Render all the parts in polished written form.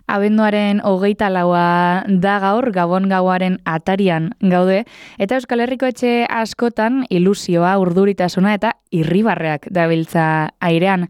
Abenduaren 24 da gaur, Gabon gauaren atarian gaude, eta Euskal Herriko etxe askotan ilusioa, urduritasuna eta irribarreak dabiltza airean.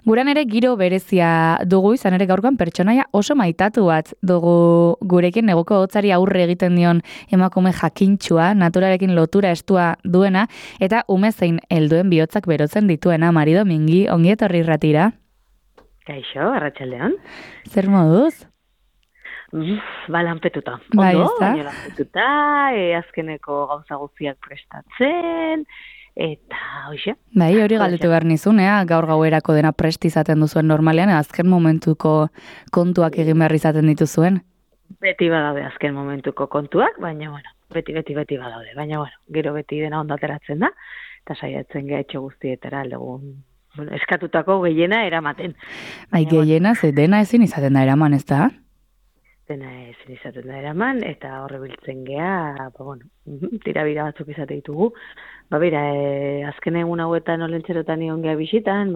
Guran ere giro berezia dugu, izan ere gaurkoan pertsonaia oso maitatu bat dugu gurekin, neguko hotzari aurre egiten dion emakume jakintxua, naturarekin lotura estua duena, eta ume zein helduen bihotzak berotzen dituena. Mari Domingi, ongi etorri irratira. Kaixo, arratsaldean. Zer moduz? Lanpetuta. Bai, Ondo, ezta? baina lanpetuta, azkeneko gauza guztiak prestatzen, eta hoxe. Bai, hori galdetu behar nizunea, gaur gauerako dena prest izaten duzuen normalean, azken momentuko kontuak egin behar izaten dituzuen. Beti badaude azken momentuko kontuak, baina bueno, beti badaude. Baina bueno, gero beti dena ondo ateratzen da, eta saiatzen geha etxe guztietara aldegun. Bueno, eskatutako gehiena eramaten. Bai, gehiena, ze dena ezin izaten da eraman, ez da? Dena ezin izaten da eraman, eta horre biltzen geha, tirabira batzuk izate ditugu. Bera, azken egun hauetan olentzerotan ion geha bisitan,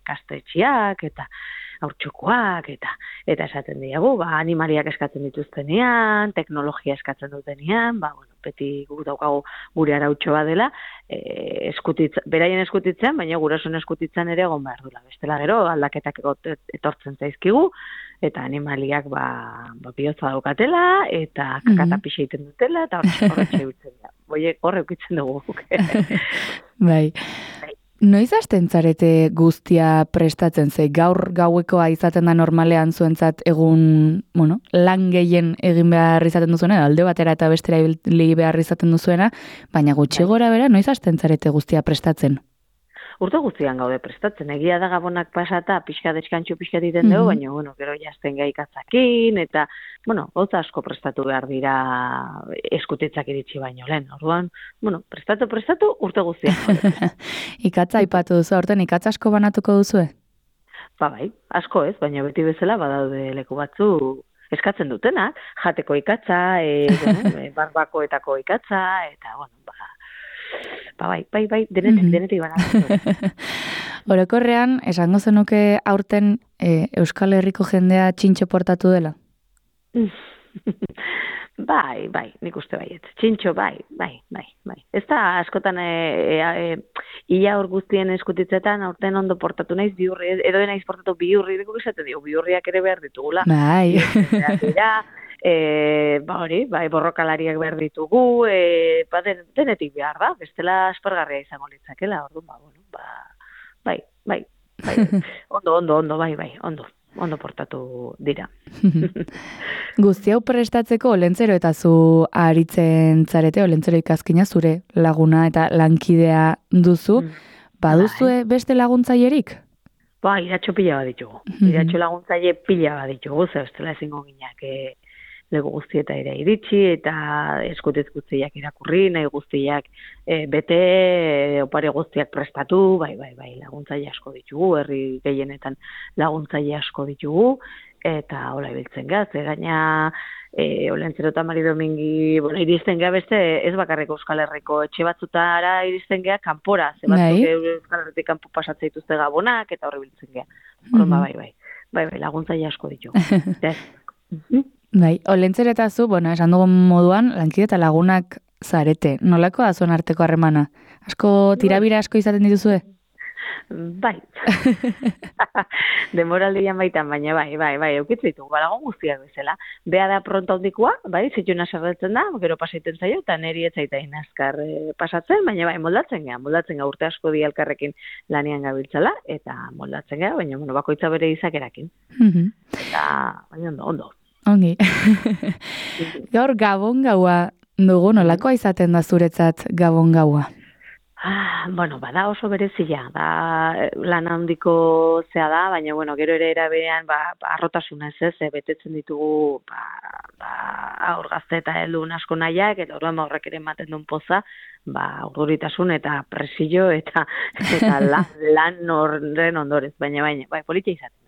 ikastetxiak, eta haurtxokoak, eta esaten diagu, animaliak eskatzen dituztenean, teknologia eskatzen dutenean, beti guk daukagu gure arautxo bat dela, beraien eskutitzen, baina gurasoen eskutitzen ere egon behar dula. Bestela gero, aldaketak etortzen zaizkigu, eta animaliak bihotza daukatela, eta kakatapixa egiten dutela, eta horretxe biltzen da. Horre ukitzen dugu. Bai. Noiz hasten zarete guztia prestatzen, ze gaur gauekoa izaten da normalean zuentzat egun, lan gehien egin behar izaten duzuena, alde batera eta bestera ibili behar izaten duzuena, baina gutxi gora bera, noiz hasten zarete guztia prestatzen? Urte guztian gaude prestatzen, egia da Gabonak pasata, pixka deskantxo pixka diten dugu, baina, gero jazten gaikatzakin, eta, gauza asko prestatu behar dira eskutitzak iritsi baino lehen. Orduan, prestatu urte guztian. Ikatza aipatu duzu, aurten ikatza asko banatuko duzue? Bai, asko ez, baina beti bezala badaude leku batzu eskatzen dutenak, jateko ikatza, barbakoetako ikatza, eta, bai, denetik banatu. Orokorrean, esango zenuke aurten Euskal Herriko jendea txintxo portatu dela? Bai, nik uste baiet. Txintxo, bai. Ez da, askotan, ia hor guztien eskutitzetan, aurten ondo portatu naiz, bihurri, edo naiz portatu bihurri, deko esaten digu, bihurriak ere behar ditugula. Bai. Borrokalariak behar ditugu, denetik behar da, bestela aspergarria izango litzakela, orduan, bai. Ondo, ondo portatu dira. Guzti hau prestatzeko Olentzero eta zu aritzen zarete, Olentzero ikazkina zure laguna eta lankidea duzu, baduzue beste laguntzailerik? Iratxo pila bat ditugu. Iratxo laguntzaile pila bat ditugu, ze bestela ezingo ginak lego guztieta ere iritsi, eta eskutez guztiak irakurri, nahi guztiak bete, opare guztiak prestatu, bai, laguntzaile asko ditugu, herri gehienetan laguntzaile asko ditugu, eta hola ibiltzen gaz, gaina Olentzero eta Mari Domingi, iristen gea beste, ez bakarreko Euskal Herriko etxe batzutara iristen gea kanpora, ze batzuk Euskal Herritik kanpo pasatzea dituzte Gabonak, eta horri biltzen gea. Bai, laguntzaile asko ditugu. Bai, Olentzero eta zu, esan dugun moduan, lankide eta lagunak zarete. Nolako da zuen arteko harremana? Asko tirabira asko izaten dituzue? Bai. Denboraldian baitan, baina bai, eukitz ditugu, lagun guztiak bezala. Bea da pronto handikoa, bai, zituna sarretzen da, gero pasaiten zaio, eta neri etzaitain azkar pasatzen, baina bai, moldatzen gea urte asko di elkarrekin lanian gabiltzala, eta moldatzen gea, baina bakoitza bere izakerakin. Eta, baina ondo. Ongi. Gaur Gabon gaua dugu, nolakoa izaten da zuretzat Gabon gaua? Bada oso berezia, da lan handiko zea da, baina gero ere eraberean arrotasuna ez, betetzen ditugu aur gazte eta heldun asko nahiak, eta orduan horrek ere ematen duen poza, urduritasun eta presio eta lan horren ondorez, baina politia izaten.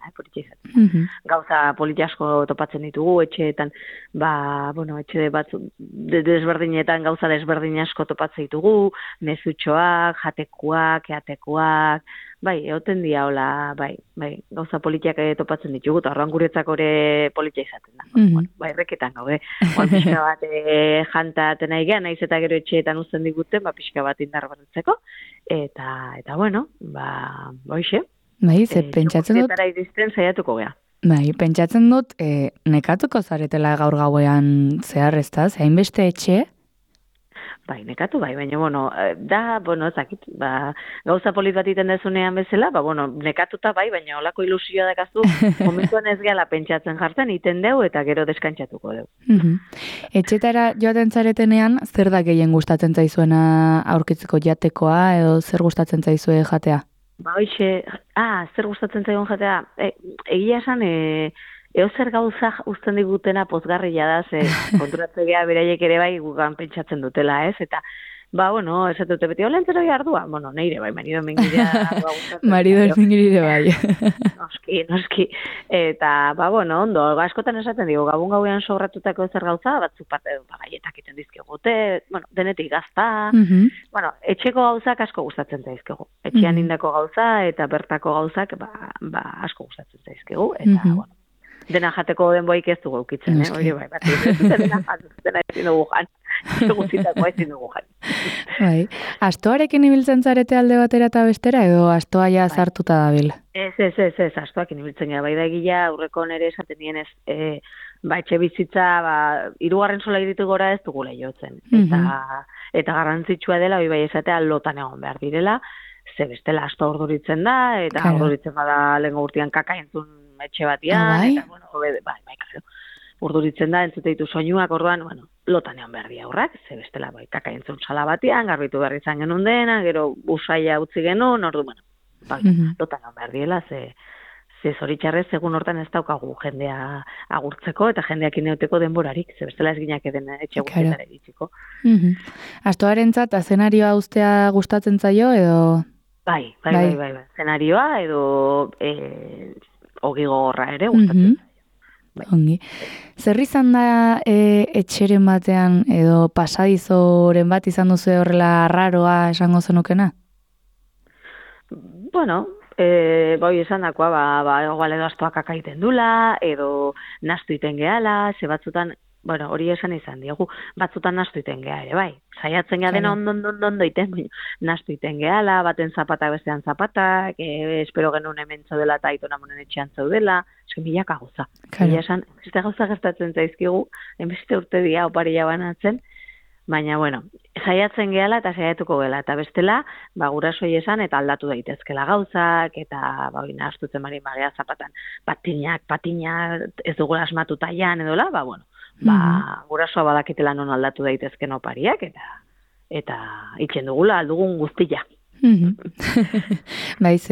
Gauza politia asko topatzen ditugu, etxeetan, etxe batzu desberdinetan gauza desberdin asko topatzen ditugu, mezutxoak, jatekoak, eatekoak, bai, egoten dia hola, bai, gauza politiak topatzen ditugu, eta horren guretzako ere politia izaten da. Bueno, bai, erreketan gaude, pixka bat janta atena igea, naiz eta gero etxeetan uzten diguten, pixka bat indar berretzeko, eta bueno, hoxe. Bai, ze pentsatzen dut... iristen saiatuko gea. Bai, pentsatzen dut, nekatuko zaretela gaur gauean zehar, ez da? Hainbeste etxe? Bai, nekatu bai, baina, ezakit, gauza polit bat iten dezunean bezala, nekatuta bai, baina olako ilusioa dakazu, momentuan ez gehala pentsatzen jartzen, iten deu eta gero deskantzatuko deu. Etxetara joaten zaretenean, zer da gehien gustatzen zaizuena aurkitzeko jatekoa, edo zer gustatzen zaizue jatea? Hoxe, zer gustatzen zaigun jatea, egia esan, zer gauza uzten digutena pozgarria da, konturatzea beraiek ere bai gugan pentsatzen dutela, ez? Eta, ez dute beti, olentzero jardua? Neire bai, marido mingirea gustatzen. Marido mingirea bai. Noski. Eta, ondo, askotan esaten digo, gabun gauean sobratutako zer gauza, batzuk bat gaietak iten dizkigute, denetik gazta. Etxeko gauzak asko gustatzen zaizkigu. Etxean indako gauza eta bertako gauzak, asko gustatzen zaizkigu. Eta, dena jateko denboik ez dugu eukitzen, hori bai, dena ezin dugu jan, guztitako ezin dugu jan. Bai, astoarekin ibiltzen zarete alde batera eta bestera, edo astoa ja zartuta dabil? Ez, astoakin ibiltzen gara, bai da gila, aurreko nere esaten nien ez, etxe bizitza, 3. sola iritu gora ez dugula jotzen, eta garrantzitsua dela, hori bai esatea, lotan egon behar direla, ze bestela astoa orduritzen da, eta orduritzen bada lehenko urtean kaka entzun etxe batian, eta, claro, urduritzen da, entzute ditu soinuak, orduan, lotan egon behar di aurrak, ze bestela, kaka entzun sala batian, garbitu behar izan genuen dena, gero usaia utzi genuen, lotan egon behar diela, ze zoritxarrez, egun hortan ez daukagu jendea agurtzeko, eta jendeak ineuteko denborarik, ze bestela ez ginak eden etxe guztietara iritsiko. Astoarentzat, azenarioa ustea gustatzen zaio, edo... Bai, zenarioa, edo... ogi gogorra ere gustatzen zaio. Ongi. Zer izan da etxeren batean edo pasadizoren bat izan duzu horrela raroa esango zenukena? Esan dakoa, igual edo astoak akaiten dula, edo nastu iten gehala, ze batzutan, hori esan izan diegu, batzutan nastu iten geha ere, bai. Saiatzen geha dena ondo iten, nastu iten gehala, baten zapatak bestean zapatak, espero genuen hemen zaudela eta aitona monen etxean zaudela, eski milaka gauza. Mila esan, beste gauza gertatzen zaizkigu, beste urte dia oparia banatzen, baina, saiatzen gehala eta saiatuko gela, eta bestela, gurasoi esan eta aldatu daitezkela gauzak, eta nastutzen bari magea zapatan, patinak, ez dugula asmatuta jan edola, gurasoa badakitela non aldatu daitezken opariak, eta itxen dugula aldugun guztia. Baiz,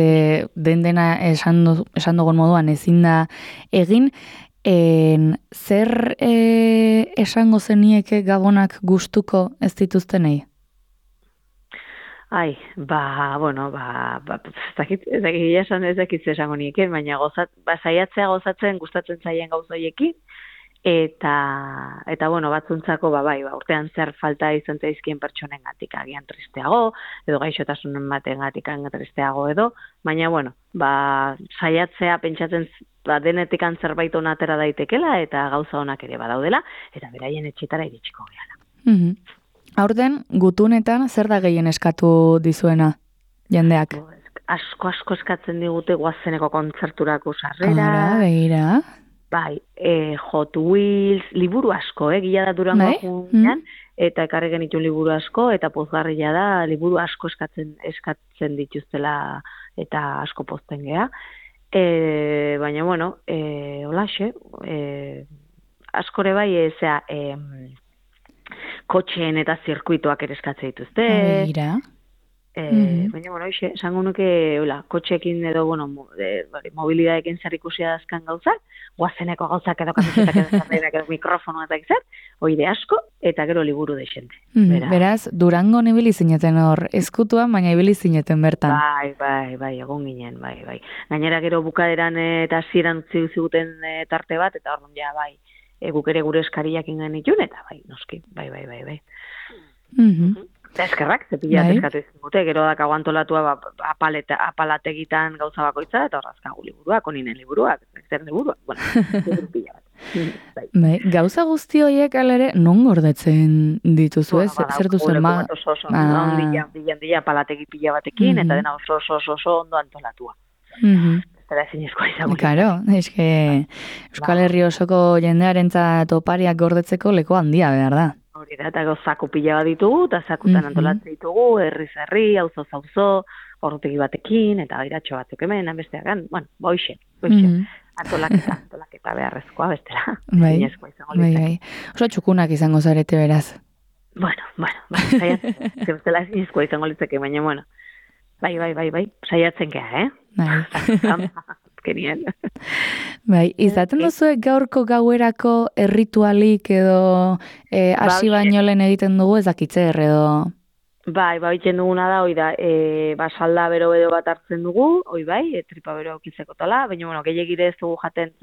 dena esan dugun moduan ezin da egin, zer esango zenieke gabonak gustuko ez dituztenei? Ez dakit esango nieken, baina saiatzea gozatzen gustatzen zaien gauzoiekin, eta batzuntzako, urtean zer falta izan zaizkien pertsonen gatik agian tristeago, edo gaixotasunen baten gatik tristeago edo, baina, saiatzea pentsatzen denetik zerbait ona atera daitekela, eta gauza onak ere badaudela, eta beraien etxetara iritsiko gehala. Aurten, gutunetan, zer da gehien eskatu dizuena jendeak? Asko eskatzen digute goazeneko kontzerturako sarrera. Begira. Bai, Hot Wheels, liburu asko, gila da Durango junean, eta ekarri genitu liburu asko, eta pozgarria da, liburu asko eskatzen dituztela, eta asko pozten geha. Baina, holaxe, askore bai, kotxeen eta zirkuituak ere eskatzen dituzte. Begira. Baina, esango nuke, kotxeekin edo, mobilidadekin zer ikusia dazkan gauzak, guazeneko gauzak edo kamisetak edo zarreinak edo mikrofonoa eta gizet, oide asko, eta gero liburu deixente. Beraz, Durango ibili zineten hor, ezkutuan, baina ibili zineten bertan. Bai, egon ginen, bai. Gainera gero bukaderan eta hasieran utzi ziguten tarte bat, eta hor ja, guk ere gure eskariak ingen itun, eta noski, bai. Eskerrak, zepila bat eskatu izan dute, gero dakago antolatua apalategitan gauza bakoitza, eta horrazkagu liburuak, oninen liburuak, zer liburuak, bueno, liburu pila bat. Bai, gauza guzti horiek alere non gordetzen dituzu, ez? Zer duzu ema? Handia palategi pila batekin, eta dena oso ondo antolatua. Eta da zinezkoa izango. Claro, eske Euskal Herri osoko jendearentzat opariak gordetzeko leku handia, behar da. Hori da, eta zaku pila bat ditugu, eta zakutan antolatzen ditugu, herri, auzo, orrutegi batekin, eta iratxo batzuk hemen, besteagan, bueno, boixe. Antolaketa beharrezkoa bestela. Bai. Oso txukunak izango zarete beraz. Bueno, bestela zinezkoa izango litzeke, baina, bueno. Bai, saiatzen geha, Bai. Kenien. Bai, izaten duzuek gaurko gauerako erritualik edo hasi baino lehen egiten dugu ezakitze edo... Bai, egiten duguna da, hoi da, salda bero bat hartzen dugu, hoi bai, tripa bero aukitzeko tala, baina, bueno, gehiagire ez dugu jaten,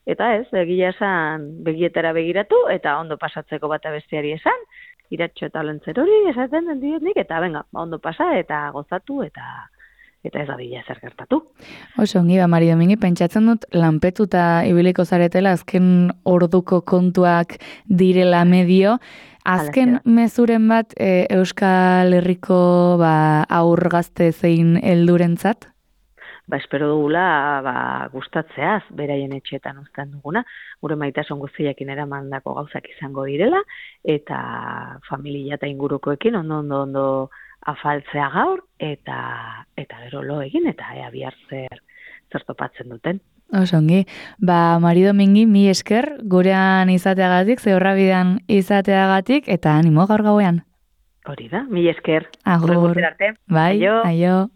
eta ez, egia esan begietara begiratu, eta ondo pasatzeko bata besteari esan, iratxo eta lentzer hori esaten den nik, eta venga, ondo pasa, eta gozatu, eta ez da bila zer gertatu. Oso, ongi ba, Mari Domingi, pentsatzen dut, lanpetuta ibiliko zaretela, azken orduko kontuak direla medio, azken mezuren bat Euskal Herriko aur gazte zein heldurentzat? Espero dugula gustatzeaz, beraien etxeetan uzten duguna, gure maitasun guztiakin eramandako gauzak izango direla, eta familia eta ingurukoekin ondo afaltzea gaur, eta gero lo egin, eta bihar zer topatzen duten. Osongi, Mari Domingi, mi esker, gurean izateagatik, Zeorrabidean izateagatik, eta animo gaur gauean. Hori da, mi esker. Agur. Arte. Bai, aio.